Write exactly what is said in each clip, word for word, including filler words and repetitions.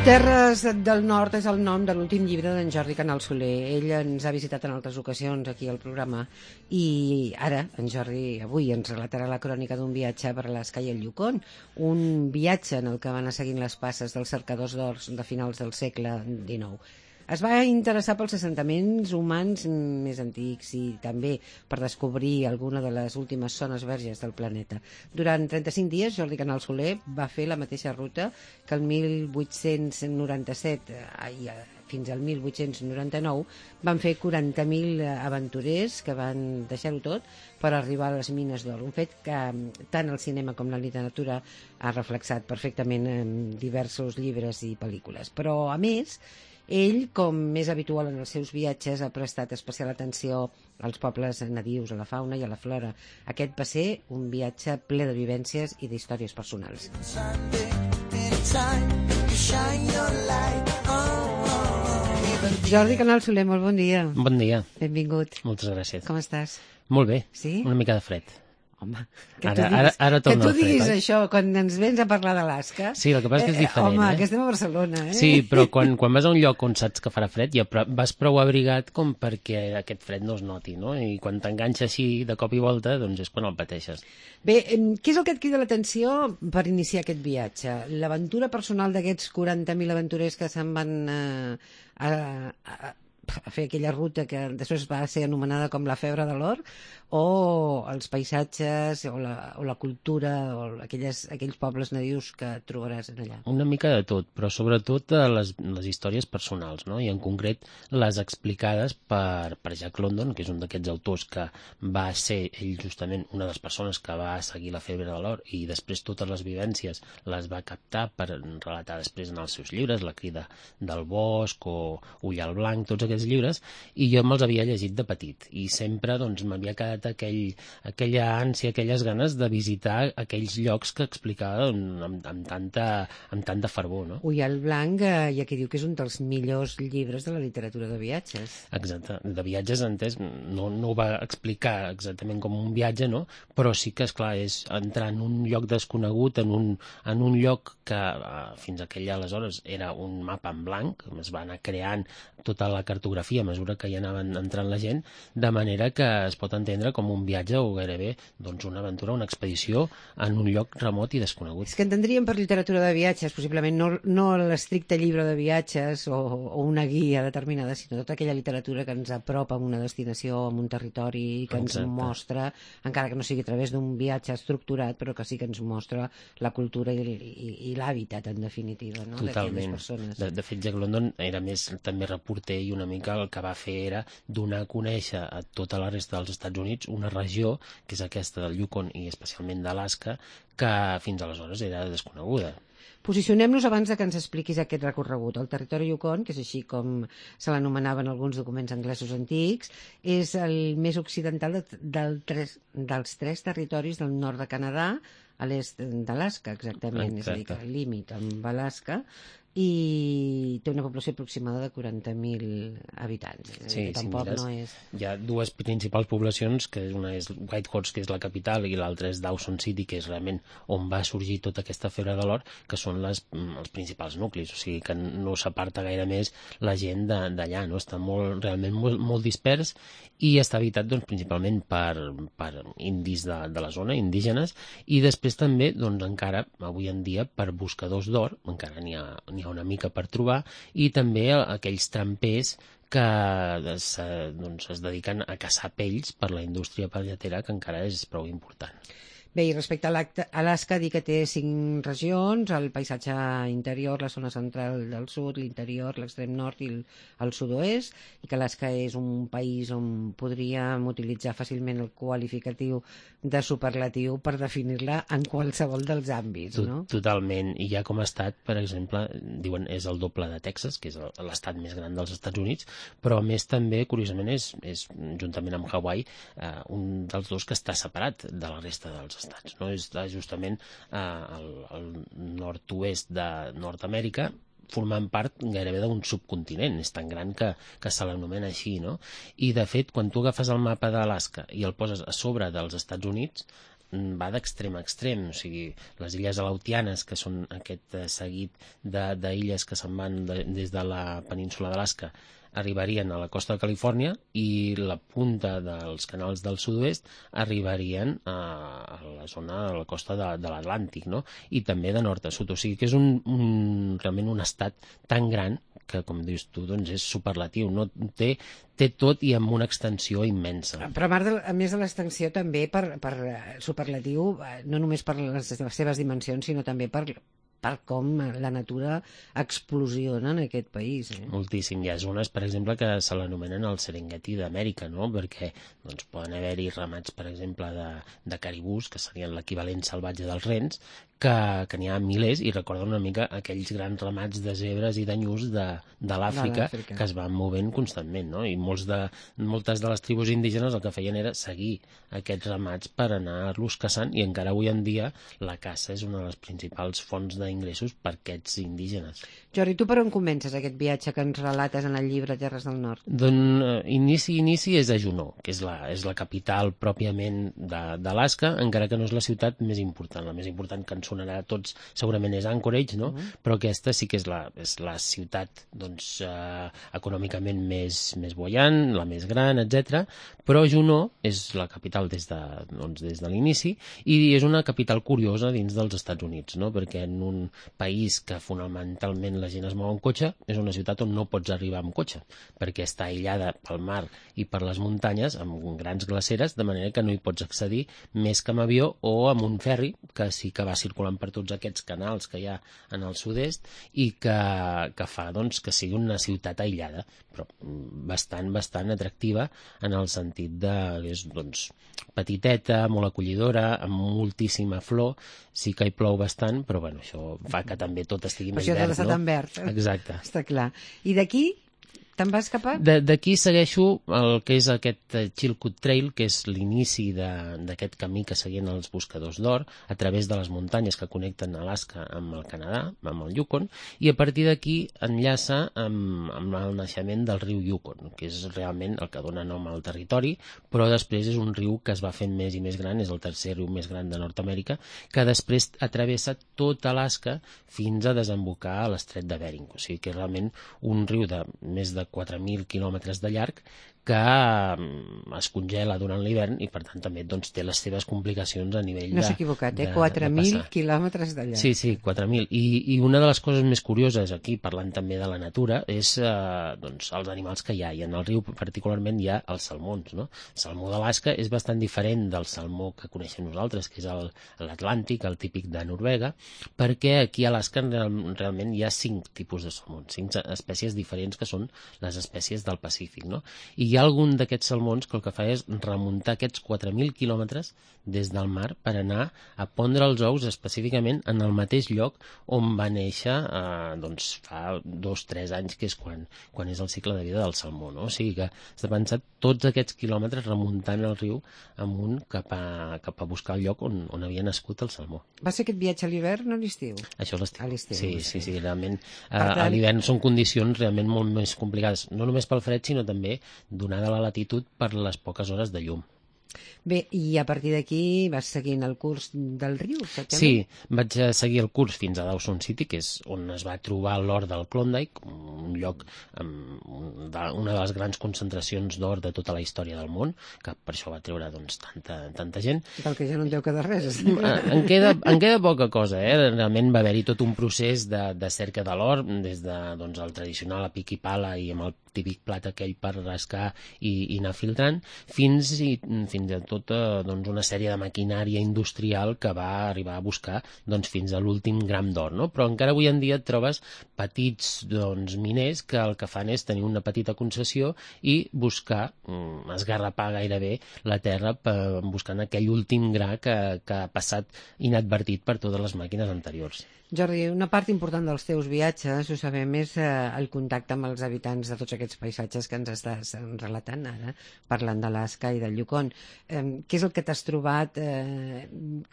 Terres del Nord és el nom de l'últim llibre d'en Jordi Canal Soler. Ell ens ha visitat en altres ocasions aquí al programa i ara en Jordi avui ens relatarà la crònica d'un viatge per Alaska i el Yukon, un viatge en el que va anar seguint les passes dels cercadors d'ors de finals del segle dinou. Es va interessar pels assentaments humans més antics i també per descobrir alguna de les últimes zones verges del planeta. Durant trenta-cinc dies, Jordi Canal Soler va fer la mateixa ruta que el mil vuit-cents noranta-set i fins al mil vuit-cents noranta-nou van fer quaranta mil aventurers que van deixar-ho tot per arribar a les mines d'or. Un fet que tant el cinema com la literatura ha reflexat perfectament en diversos llibres i pel·lícules. Però, a més, ell, com més habitual en els seus viatges, ha prestat especial atenció als pobles nadius, a la fauna i a la flora. Aquest va ser un viatge ple de vivències i d'històries personals. Jordi Canal Soler, molt bon dia. Bon dia. Benvingut. Moltes gràcies. Com estàs? Molt bé. Sí? Una mica de fred. Home, que Ara- tu diguis, ara- ara que torna tu el fred, diguis oi? això quan ens vens a parlar d'Alaska. Sí, el que passa és que és diferent, Home, eh? que estem a Barcelona, eh? Sí, però quan, quan vas a un lloc on saps que farà fred ja pr- vas prou abrigat com perquè aquest fred no es noti, no? I quan t'enganxa així de cop i volta, doncs és quan el pateixes. Bé, em, què és el que et crida l'atenció per iniciar aquest viatge? L'aventura personal d'aquests quaranta mil aventurers que se'n van eh, a, a, a fer aquella ruta que després va ser anomenada com la febre de l'or, o els paisatges, o la, o la cultura, o aquelles, aquells pobles nadius que trobaràs allà? Una mica de tot, però sobretot eh, les, les històries personals, no? I en concret les explicades per, per Jack London, que és un d'aquests autors que va ser ell justament una de les persones que va seguir la febre de l'or i després totes les vivències les va captar per relatar després en els seus llibres, La crida del bosc o Ullal blanc, tots aquests llibres, i jo me'ls havia llegit de petit i sempre doncs m'havia quedat aquell, aquella ànsia, aquelles ganes de visitar aquells llocs que explicava amb, amb, amb, tanta, amb tanta fervor, no? Ullal blanc, eh, hi ha qui diu que és un dels millors llibres de la literatura de viatges. Exacte, de viatges entès, no, no ho va explicar exactament com un viatge, no? Però sí que, esclar, és entrar en un lloc desconegut, en un, en un lloc que eh, fins aquell aleshores era un mapa en blanc, es va anar creant tota la cartografia a mesura que hi anaven entrant la gent, de manera que es pot entendre com un viatge o gairebé doncs, una aventura, una expedició en un lloc remot i desconegut. És que entendríem per literatura de viatges, possiblement no, no l'estricte llibre de viatges o, o una guia determinada, sinó tota aquella literatura que ens apropa a una destinació, a un territori, que ens Exacte. mostra, encara que no sigui a través d'un viatge estructurat, però que sí que ens mostra la cultura i, i, i l'hàbitat, en definitiva, no? d'aquelles Totalment. persones. De, de fet, Jack London era més també reporter i una mica el que va fer era donar a conèixer a tota la resta dels Estats Units una regió, que és aquesta del Yukon i especialment d'Alaska, que fins aleshores era desconeguda. Posicionem-nos abans de que ens expliquis aquest recorregut. El territori Yukon, que és així com se l'anomenaven alguns documents anglesos antics, és el més occidental de, del tres, dels tres territoris del nord de Canadà a l'est d'Alaska, exactament, Exacte. és a dir, que el límit amb Alaska, i té una població aproximada de quaranta mil habitants. És a dir, Sí, que si tampoc mires, no és... hi ha dues principals poblacions, que una és Whitehorse, que és la capital, i l'altra és Dawson City, que és realment on va sorgir tota aquesta febre de l'or, que són les, els principals nuclis, o sigui que no s'aparta gaire més la gent de- d'allà, no? Està molt, realment molt, molt dispers i està habitat doncs, principalment per, per indis de, de la zona, indígenes, i després també, doncs, encara, avui en dia, per buscadors d'or, encara n'hi ha, n'hi ha una mica per trobar, i també aquells trampers que es, doncs, es dediquen a caçar pells per la indústria pelletera, que encara és prou important. Bé, i respecte a l'Acta- Alaska, dir que té cinc regions, el paisatge interior, la zona central del sud, l'interior, l'extrem nord i el, el sud-oest, i que Alaska és un país on podríem utilitzar fàcilment el qualificatiu de superlatiu per definir-la en qualsevol dels àmbits, Tot, no? Totalment, i ja com a estat, per exemple, diuen és el doble de Texas, que és el- l'estat més gran dels Estats Units, però a més també, curiosament, és, és juntament amb Hawaii, eh, un dels dos que està separat de la resta dels estats, no? És justament eh, el, el nord-oest de Nord-Amèrica, formant part gairebé d'un subcontinent, és tan gran que, que se l'anomena així, no? I de fet, quan tu agafes el mapa d'Alaska i el poses a sobre dels Estats Units, va d'extrem a extrem, o sigui, les illes Aleutianes, que són aquest seguit d'illes que se'n van de, des de la península d'Alaska, arribarien a la costa de Califòrnia i la punta dels canals del sud-oest arribarien a, a la zona de la costa de, de l'Atlàntic, no? I també de nord a sud, o sigui que és un, un, realment un estat tan gran que, com dius tu, doncs és superlatiu, no? Té, té tot i amb una extensió immensa. Però a, de, a més de l'extensió també per, per superlatiu, no només per les, les seves dimensions, sinó també per... per com la natura explosiona en aquest país. Eh? Moltíssim. Hi ha zones, per exemple, que se l'anomenen el Serengeti d'Amèrica, no? Perquè doncs, poden haver-hi ramats, per exemple, de, de caribús, que serien l'equivalent salvatge dels rens, que, que n'hi ha milers, i recorda una mica aquells grans ramats de zebres i d'anyús de, de l'Àfrica que es van movent constantment, no? I molts de, moltes de les tribus indígenes el que feien era seguir aquests ramats per anar-los caçant, i encara avui en dia la caça és una de les principals fonts d'ingressos per aquests indígenes. Jordi, tu per on comences aquest viatge que ens relates en el llibre Terres del Nord? Doncs uh, inici, inici és a Juneau, que és la, és la capital pròpiament d'Alaska, encara que no és la ciutat més important. La més important que ens sonarà a tots segurament és Anchorage, no? Uh-huh. Però aquesta sí que és la, és la ciutat doncs, uh, econòmicament més, més buoyant, la més gran, etcètera. Però Juneau és la capital des de, doncs, des de l'inici, i és una capital curiosa dins dels Estats Units, no? Perquè en un país que fonamentalment la gent es mou en cotxe, és una ciutat on no pots arribar amb cotxe, perquè està aïllada pel mar i per les muntanyes amb grans glaceres, de manera que no hi pots accedir més que amb avió o amb un ferri, que sí que va circulant per tots aquests canals que hi ha en el sud-est i que, que fa doncs, que sigui una ciutat aïllada, però bastant, bastant atractiva en el sentit de que és doncs, petiteta, molt acollidora, amb moltíssima flor, sí que hi plou bastant, però bueno, això fa que també tot estigui més verd, no? Això tan verd. Exacte. Està clar. I d'aquí te'n vas cap a? D'aquí segueixo el que és aquest Chilkoot Trail, que és l'inici d'aquest camí que seguien els buscadors d'or a través de les muntanyes que connecten Alaska amb el Canadà, amb el Yukon, i a partir d'aquí enllaça amb, amb el naixement del riu Yukon, que és realment el que dona nom al territori, però després és un riu que es va fent més i més gran, és el tercer riu més gran de Nord-Amèrica, que després travessa tot Alaska fins a desembocar a l'estret de Bering. O sigui que és realment un riu de més de quatre mil quilòmetres de llarg que es congela durant l'hivern i per tant també doncs, té les seves complicacions a nivell de... No s'ha equivocat, eh? quatre mil quilòmetres de llarg. Sí, sí, quatre mil. I, I una de les coses més curioses aquí, parlant també de la natura, és eh, doncs, els animals que hi ha. I en el riu particularment hi ha els salmons, no? El salmó d'Alaska és bastant diferent del salmó que coneixem nosaltres, que és l'Atlàntic, el típic de Noruega, perquè aquí a Alaska realment hi ha cinc tipus de salmons, cinc espècies diferents que són les espècies del Pacífic, no? I hi ha algun d'aquests salmons que el que fa és remuntar aquests quatre mil quilòmetres des del mar per anar a pondre els ous específicament en el mateix lloc on va néixer eh, doncs fa dos o tres anys, que és quan, quan és el cicle de vida del salmó, no? O sigui que s'ha pensat tots aquests quilòmetres remuntant el riu amunt cap a, cap a buscar el lloc on, on havia nascut el salmó. Va ser aquest viatge a l'hivern o a l'estiu? Això a l'estiu. A l'estiu. Sí, sí, sí, realment. Eh, tant... a l'hivern són condicions realment molt més complicades, no només pel fred, sinó també donada la latitud per les poques hores de llum. Bé, i a partir d'aquí vas seguint el curs del riu? Sí, vaig seguir el curs fins a Dawson City, que és on es va trobar l'or del Klondike, un lloc amb una de les grans concentracions d'or de tota la història del món, que per això va treure doncs, tanta, tanta gent. Del que ja no en deu quedar res. En queda, en queda poca cosa, eh? Realment va haver-hi tot un procés de, de cerca de l'or, des de doncs, el tradicional a pic i pala i amb el típic plat aquell per rascar i, i anar filtrant, fins, i, fins a tota doncs, una sèrie de maquinària industrial que va arribar a buscar doncs, fins a l'últim gram d'or, no? Però encara avui en dia et trobes petits doncs, miners que el que fan és tenir una petita concessió i buscar, mm, esgarrapar gairebé la terra per, buscant aquell últim gra que, que ha passat inadvertit per totes les màquines anteriors. Jordi, una part important dels teus viatges, ho sabem, és eh, el contacte amb els habitants de tots aquests paisatges que ens estàs eh, relatant ara, parlant d'Alaska i del Yukon. Eh, què és el que t'has trobat? Eh,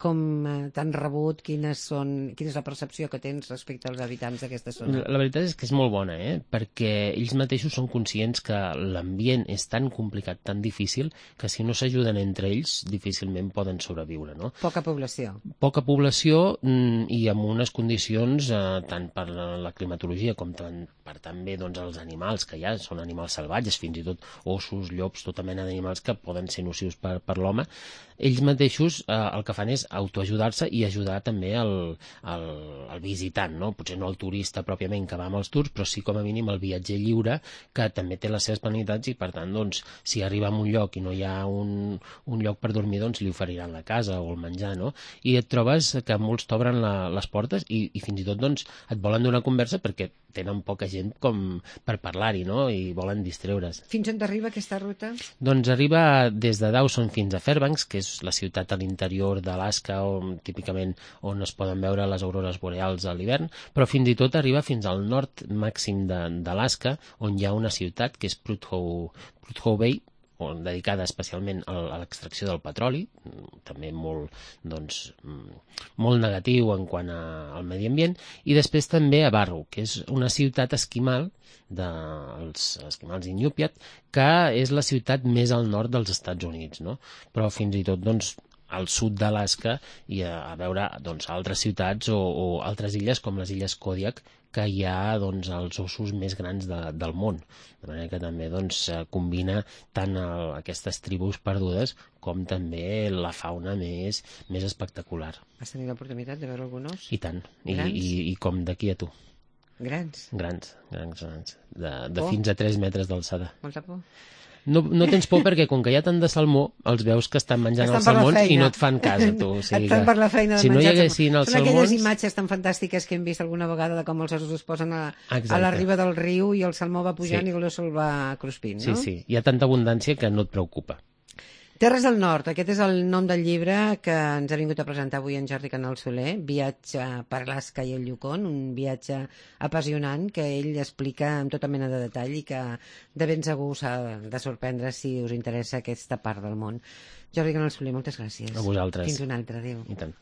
com eh, t'han rebut? Quines són, quina és la percepció que tens respecte als habitants d'aquesta zona? La, la veritat és que és molt bona, eh? Perquè ells mateixos són conscients que l'ambient és tan complicat, tan difícil, que si no s'ajuden entre ells, difícilment poden sobreviure, no? Poca població. Poca població mm, i amb unes condicions eh, tant per la climatologia com tant, per també doncs, els animals que hi ha, són animals salvatges, fins i tot ossos, llops, tota mena d'animals que poden ser nocius per, per l'home. Ells mateixos eh, el que fan és autoajudar-se i ajudar també el, el, el visitant, no? Potser no el turista pròpiament que va amb els tours, però sí com a mínim el viatger lliure, que també té les seves penalitats i per tant, doncs, si arriba a un lloc i no hi ha un, un lloc per dormir, doncs li oferiran la casa o el menjar, no? I et trobes que molts t'obren les portes i, i fins i tot doncs, et volen donar conversa perquè tenen poca gent com per parlar-hi, no? I volen distreure's. Fins on t'arriba aquesta ruta? Doncs arriba des de Dawson fins a Fairbanks, que és la ciutat a l'interior d'Alaska, on típicament on es poden veure les aurores boreals a l'hivern, però fins i tot arriba fins al nord màxim d'Alaska, on hi ha una ciutat que és Prudhoe, Prudhoe Bay, dedicada especialment a l'extracció del petroli, també molt, doncs, molt negatiu en quant a, al medi ambient, i després també a Barrow, que és una ciutat esquimal dels esquimals Inupiat, que és la ciutat més al nord dels Estats Units, no? Però fins i tot, doncs, al sud d'Alaska i a, a veure doncs, altres ciutats o, o altres illes com les illes Kodiak, que hi ha doncs, els ossos més grans de, del món. De manera que també doncs, combina tant el, aquestes tribus perdudes com també la fauna més, més espectacular. Has tenit l'oportunitat de veure algun os? I tant. I, Grans? i, i com d'aquí a tu. Grans? Grans, grans, grans. De, de fins a tres metres d'alçada. Molta por? No, no tens por perquè com que hi ha tant de salmó els veus que estan menjant estan els salmons i no et fan cas a tu. O sigui estan per la feina de si no hi menjar haguessin els Són salmons... aquelles imatges tan fantàstiques que hem vist alguna vegada de com els ossos es posen a, a la riba del riu i el salmó va pujant sí. i l'osso el va cruspint, no? Sí, sí, hi ha tanta abundància que no et preocupa. Terres del Nord, aquest és el nom del llibre que ens ha vingut a presentar avui en Jordi Canal Soler, Viatge per Alaska i el Yukon, un viatge apassionant que ell explica amb tota mena de detall i que de ben segur s'ha de sorprendre si us interessa aquesta part del món. Jordi Canal Soler, moltes gràcies. A vosaltres. Fins una altra, adéu. I tant.